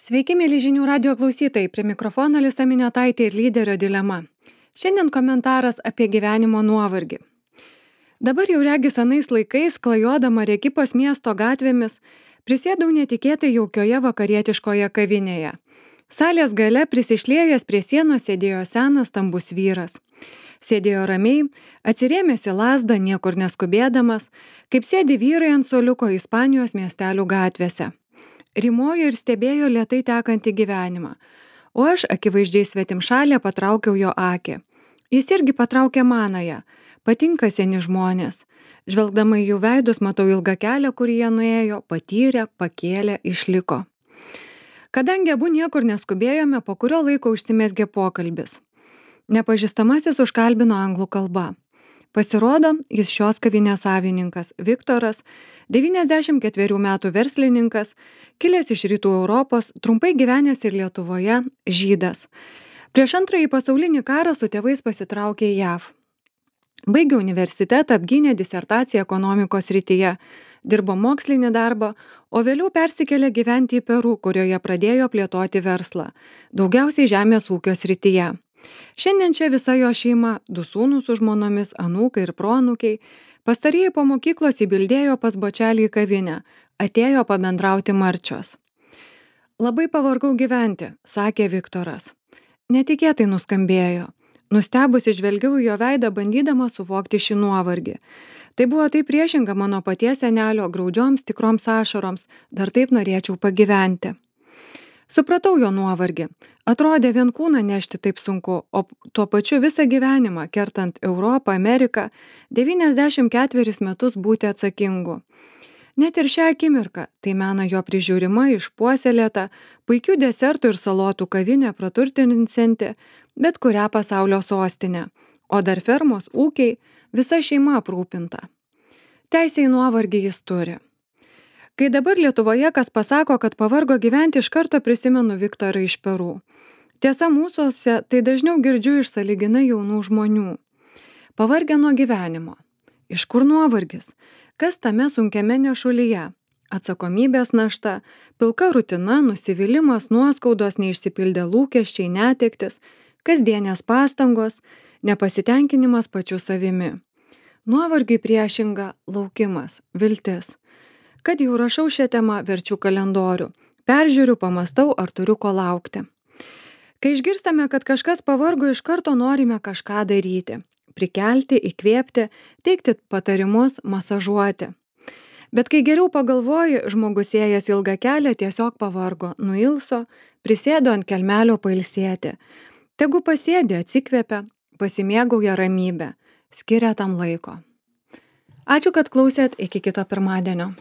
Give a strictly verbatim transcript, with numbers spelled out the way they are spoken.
Sveiki, mėly žinių radio klausytojai, prie mikrofono Lisa Miniotaitė ir lyderio dilema. Šiandien komentaras apie gyvenimo nuovargį. Dabar jau regis anais laikais, klajodama Rekipos miesto gatvėmis, prisėdau netikėtai jaukioje vakarietiškoje kavinėje. Salės gale prisišliejęs prie sienos sėdėjo senas stambus vyras. Sėdėjo ramiai, atsirėmęs į lazdą, niekur neskubėdamas, kaip sėdi vyrai ant suoliuko Ispanijos miestelių gatvėse. Rimojo ir stebėjo lėtai tekantį gyvenimą, o aš akivaizdžiai svetimšalė patraukiau jo akį. Jis irgi patraukė manąją. Patinka seni žmonės. Žvelgdama į jų veidus matau ilgą kelią, kurį jie nuėjo, patyrė, pakėlė, išliko. Kadangi abu niekur neskubėjome, po kurio laiko užsimezgė pokalbis. Nepažįstamasis užkalbino anglų kalba. Pasirodo, jis šios kavinės savininkas, Viktoras, devyniasdešimt ketverių metų verslininkas, kilęs iš rytų Europos, trumpai gyvenęs ir Lietuvoje, žydas. Prieš antrąjį pasaulinį karą su tėvais pasitraukė į JAV. Baigė universitetą, apgynė disertaciją ekonomikos srityje, dirbo mokslinį darbą, o vėliau persikėlė gyventi į Peru, kurioje pradėjo plėtoti verslą, daugiausiai žemės ūkio srityje. Šiandien čia visa jo šeima, du sūnūs su žmonomis, anūkai ir proanūkiai, pastarieji po mokyklos įbildėjo pas bočelį į kavinę, atėjo pabendrauti marčios. Labai pavargau gyventi, sakė Viktoras. Netikėtai nuskambėjo. Nustebusi žvelgiau į jo veidą, bandydama suvokti šį nuovargį. Tai buvo taip priešinga mano paties senelio graudžioms tikroms ašaroms, dar taip norėčiau pagyventi. Supratau jo nuovargį. Atrodė vien kūną nešti taip sunku, o tuo pačiu visą gyvenimą, kertant Europą, Ameriką, devyniasdešimt ketverius metus būti atsakingu. Net ir šią akimirką, tai mena jo prižiūrima, išpuoselėta, puikių desertų ir salotų kavinė praturtinsianti, bet kurią pasaulio sostinę, o dar fermos, ūkiai, visa šeima aprūpinta. Teisę į nuovargį jis turi. Kai dabar Lietuvoje kas pasako, kad pavargo gyventi, iš karto prisimenu Viktorą iš Peru. Tiesa, mūsuose tai dažniau girdžiu iš sąlyginai jaunų žmonių. Pavargę nuo gyvenimo. Iš kur nuovargis? Kas tame sunkiame nešulyje? Atsakomybės našta, pilka rutina, nusivylimas, nuoskaudos, neišsipildę lūkesčiai, netektis, kasdienės pastangos, nepasitenkinimas pačiu savimi. Nuovargiui priešinga laukimas, viltis. Kad jau rašau šią temą, verčiu kalendorių. Peržiūriu, pamastau, ar turiu ko laukti. Kai išgirstame, kad kažkas pavargo, iš karto norime kažką daryti. Prikelti, įkvėpti, teikti patarimus, masažuoti. Bet kai geriau pagalvoji, žmogus ėjęs ilgą kelią tiesiog pavargo, nuilso, prisėdo ant kelmelio pailsėti. Tegu pasėdi, atsikvėpia, pasimėgauja ramybę, skiria tam laiko. Ačiū, kad klausėt, iki kito pirmadienio.